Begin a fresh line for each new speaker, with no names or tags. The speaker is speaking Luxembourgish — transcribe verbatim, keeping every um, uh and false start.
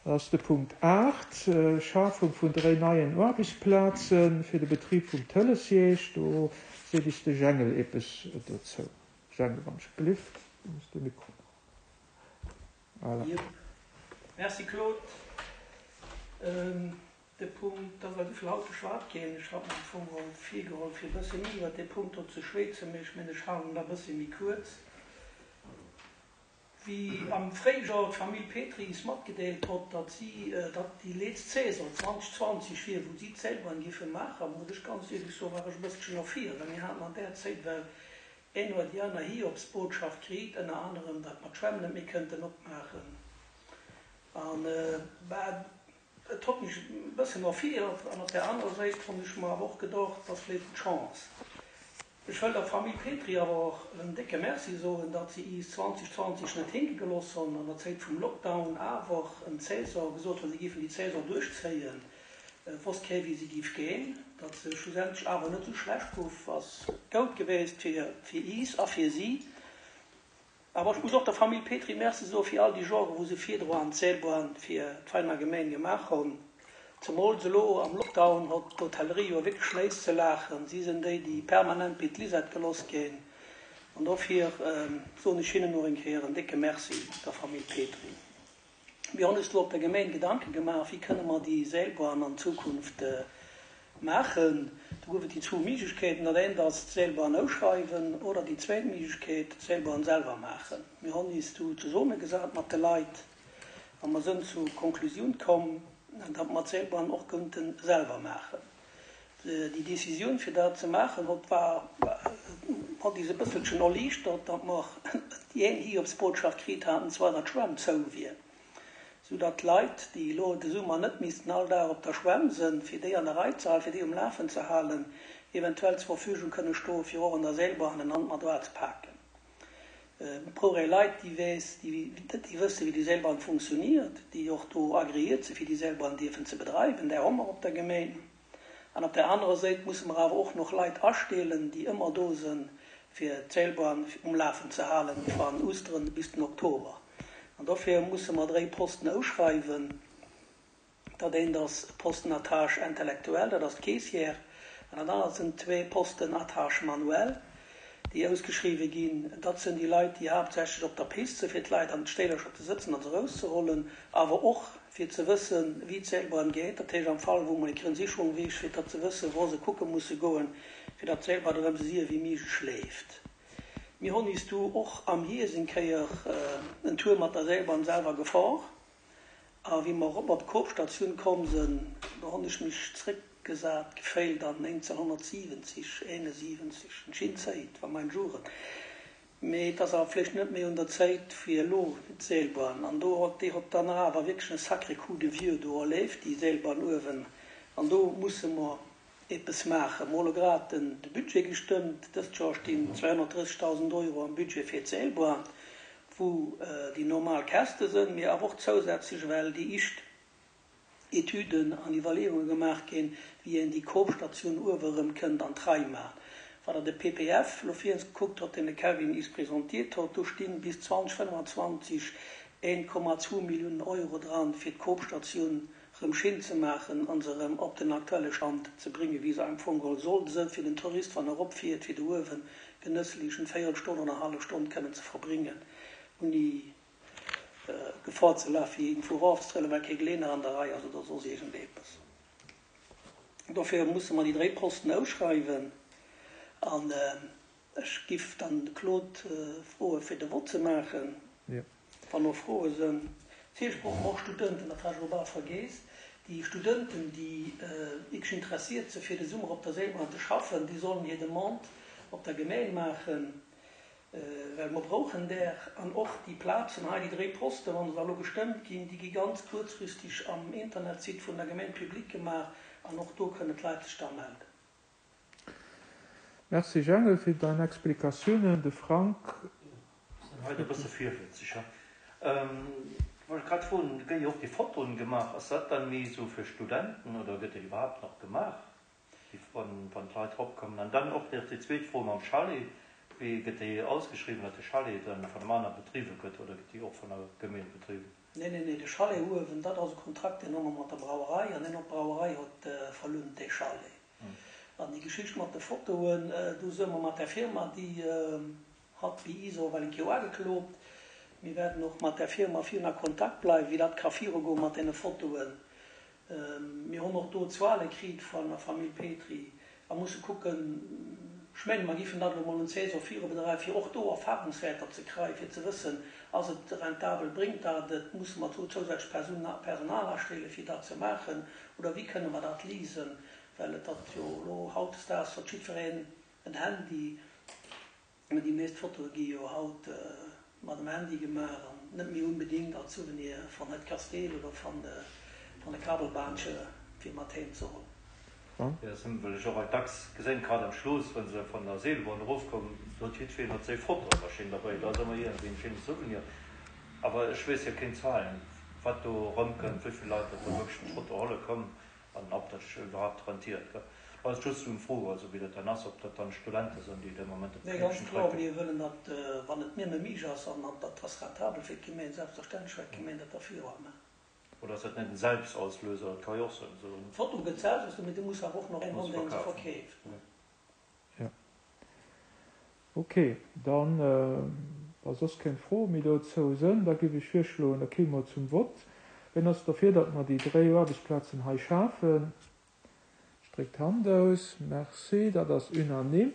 Dat ass de Punkt aacht, Schafung vun dréi neien Aarbechtsplaze fir de Betrib vum Télésiège. Do seet is de Jengel eppes dozou. Jengel, wann ech gelift, du muss de Mikro. Voilà.
Jep. Merci Claude. De Punkt, da well esouvill haut geschwat ginn, ech hat mer am Fong geholl virgeholl fir e bësse méi iwwert dee Punkt do ze schwätzen, mee ech mengen ech halen en da e bësse méi kuerz. Wéi am Fréijor d'Famill Petry is matgedeelt hott, datt si, datt déi leetzt Saison zweitausendzwanzig wier, wou si d'Seilbahn giffe maachen, muss ech ganz éierlech soen, war ech e bësselchen erfiert, well mir haten an där Zéit well een oder déi aner Hiobsbotschaft kriit, ënner anerem, datt mer d'Schwämm net méi kënnten opmaachen. An, bah, et hott mech e bëssen erfiert an op där anerer Séit honn ech mer awer och gedocht, et ass vléit eng Chance. Ech wëll der Famill Petry awer och en décke Merci soen, datt si iis zweitausendzwanzig net hinke gelooss honn an der Zéit vum Lockdown awer en Saison gesot hunn, si giffen déi Saison duerchzéien. Et wosst kee wéi se giff geen. Datt se schlussendlech awer net esou schlecht guff, ass goud geweest fir iis a fir si. Awer ech muss och der Famill Petry Merci soe fir all déi Jore wou se virdroan d'Seelbahn fir d'Veiner Gemeng gemaach honn. Zemools elo am Lockdown hott d'Hotellerie jo wierklech Schnéiss ze laachen. Si sinn déi, déi permanent bi d'Lisette geloss ginn. An dofir soen ech hinnen och eng Kéier en décke Merci, der Famill Petry. Mir hunn eis do op der Gemeng Gedanke gemaach, wéi kënne mer déi Seilbahn an Zukunft maachen. Do gouf et déi zwou Méiglechkeeten, dat eent ass d'Seilbahn ausschreiwen oder déi zweet Méiglechkeet, d'Seilbahn selwer maachen. Mir hunn eis du zesummegesat mat de Leit a mer sënn zur Konklusioun komm, datt mer d'Seilbahn och kënnte selwer maachen. Déi Decisioun, fir dat ze maachen, hott war, hott eis e bësselchen erliichtert, datt mer déi eng Hiobsbotschaft kritt haten, zwar datt d'Schwämm zou wier, sou datt d'Leit, déi elo de Summer net missten all Dag op der Schwämm sënn, fir déi an der Rei ze halen, fir déi um Lafen ze halen, eventuell zur Verfügung kënne stoen, fir och an der Seilbahn en Hand mat uazepaken. Et brauch ee Leit, déi weess, déi wësse wéi déi Seilbahn funktioniert, déi och do agreéiert sinn, fir déi Seilbahn dierfen ze bedreiwen. Där hu mer op der Gemeng. An op där anerer Séit musse mer awer och nach Leit astellen, déi ëmmer do sënn, fir d'Seilbahn um Lafen ze halen, van Oosteren bis den Oktober. An dofir musse mer dréi Posten ausschreiwen. Dat eent ass Posten à tâche intellectuelle, dat ass d'Caissière, an dat anert sinn zwee Posten à tâche manuelle, déi ausgeschriwwe ginn. Dat sinn déi Leit, déi haaptsächlech op der Pist sinn, fir d'Leit an d'Stéilercher ze sëtzen an se erauszehollen, awer och fir ze wëssen, wéi d'Seilbahn geet. Dat heescht am Fall, wou mol eng Sicherung wier, fir dat ze wëssen, wou se kucke musse goen, fir datt d'Seilbahn erëm esou séier wéi méiglech leeft. Mir hunn is du och am Hierscht eng Kéier en Tour mat der Seilbahn selwer gefor. A wéi mer erop op d'Koopstatioun komm sinn, do hunn ech mech zréckgesat geféilt an néngzehnhonnertsiwwenzeg, eenesiwwenzeg, eng schéin Zéit, war mein Jugend. Mee et ass awer vläicht net méi un der Zéit fir elo d'Seilbahn. An do hott, déi hott dann awer wierklech e sacré coup de vieux do erléift, déi Seilbahn uewen. An do musse mer eppes maachen. Mer hu lo grad den de Budget gestëmmt. Dëst Joer stinn zweihunnertdrëssegdausend Euro am Budget fir d'Seilbahn, wou déi normal Käschte sënn, mee awer och zousätzlech, well déi ischt Etüden an Iwwerleeunge gemaach ginn, wéi een déi Koopstatioun uewe erëm kënnt an d'Rei maachen. Wann Der de P P F lo vir eens gekuckt hutt, deen de Kevin is presentiert huet, do stinn bis zweitausendfënnwanzwanzeg een Komma zwou Milliounen Euro dran, fir d'Koopstatioun rëm schéin ze maachen an se rëm op den aktuelle Stand ze bréngen, wéi se am Fong geholl soll sënn, fir den Tourist, wann e eropfiert, fir do uewen genësslech eng Véierelstonn oder eng hallef Stonn kënnen ze verbréngen, ouni Gefor ze lafen, fir iergendwou erofzetrëllen, well kee Geleeëner an der Rei ass oder soss iergendeppes. Dofir musse mer déi dréi Posten ausschreiwen an ech giff dann de Claude froe fir de Vott ze maachen, wann och Froe sënn. Natierlech brauche mer och Studenten, dat hat ech elo bal vergeess. Déi Studenten, déi wierklech interessiert sinn, fir de Summer op der Seilbahn ze schaffen, déi sollen hir Demande op der Gemeng maachen, well mer brauchen där. An och déi Plazen hei, déi dréi Posten, wa se da elo gestëmmt ginn, déi gi ganz kuerzfristeg am Internetsite vun der Gemeng public gemaach an och do kënnen d'Leit sech da melden.
Merci Jengel fir dein Explikatiounen. De Frank.
Sinn hei e bësse virwëtzeg. Wollt grad froen, gëtt jo och déi Fotoen gemaach, ass dat dann méi sou fir Studenten oder gëtt dat iwwerhaapt nach gemaach, déi wann wann d'Leit eropkommen? An dann och nach déi zweet Fro mam Chalet, wéi gëtt déi ausgeschriwwen, datt de Chalet dann vun engem aner bedriwwe gëtt oder gëtt déi och vun der Gemeen bedriwwen?
Nee, nee, nee, de Chalet uewen, dat ass e Kontrakt, deen hu mer mat der Brauerei an deen och d'Brauerei huet verlount, dee Chalet. An déi Geschicht mat de Fotoen, do si mer mat där Firma, déi hat wéi ISO well eng Kéier ugeklot. Mir wäerten och mat där Firma virun a Kontakt bleiwen, wéi dat ka virugoen mat deene Fotoen. Mir hunn och do Zuele kritt vun der Famill Petry a musse kucken, ech mengen, mer giffen dat elo mol un d'Saison virubedreiwen, fir och do Erfahrungswäerter ze kreien, fir ze wëssen, ass et rentabel, bréngt dat et, musse mer do zousätzlech Personal astelle fir dat ze maachen oder wéi kënne mer dat leasen, well et ass jo elo hautdesdaags huet jiddwereen en Handy. Déi meescht Fotoe gi jo haut mat dem Handy gemaach an net méi unbedingt als Souvenir van het Kasteel oder van de Kabelbaantje fir mat heem ze huelen.
Jo, dat hunn ech och alt dacks gesinn, grad am Schluss, wa se van der Seelbahn erofkommen, do huet jiddwereen hat séi Fotomaschinn derbäi, dat ass ëmmer iergendwéi en schéine Souvenir. Awer ech weess jo keng Zahlen, wat do erëmkënnt, wéi vill Leit dat da wierklech d'Foto huele kommen an ob dat sech iwwerhaapt rentiert. War just esou eng Fro, also wéi dat dann ass, ob dat dann Studente sinn, déi de Moment op
Nee, ganz
d'Knäppchen
kloer,
drécken.
mir wëllen dat, wann et nëmme méiglech ass, an dat ass rentabel fir d'Gemeen, selbstverständlech wäert d'Gemeen dat da viruamme.
Oder ass dat net en Selbstauslöser? Dat ka jo och sinn, esou en.
D'Foto gëtt selbst, mee du muss awer och nach een
Muss
hunn, deen se
verkafen.
verkeeft.
Jo. Ok, dann, wa soss keng Froe méi dozou sënn, da géif ech virschloen, da kéime mer zum Vott. Wien ass derfir, datt mer déi dréi Aarbechtsplazen hei schafen? Stréckt d'Hand aus. Merci, dat ass unanime.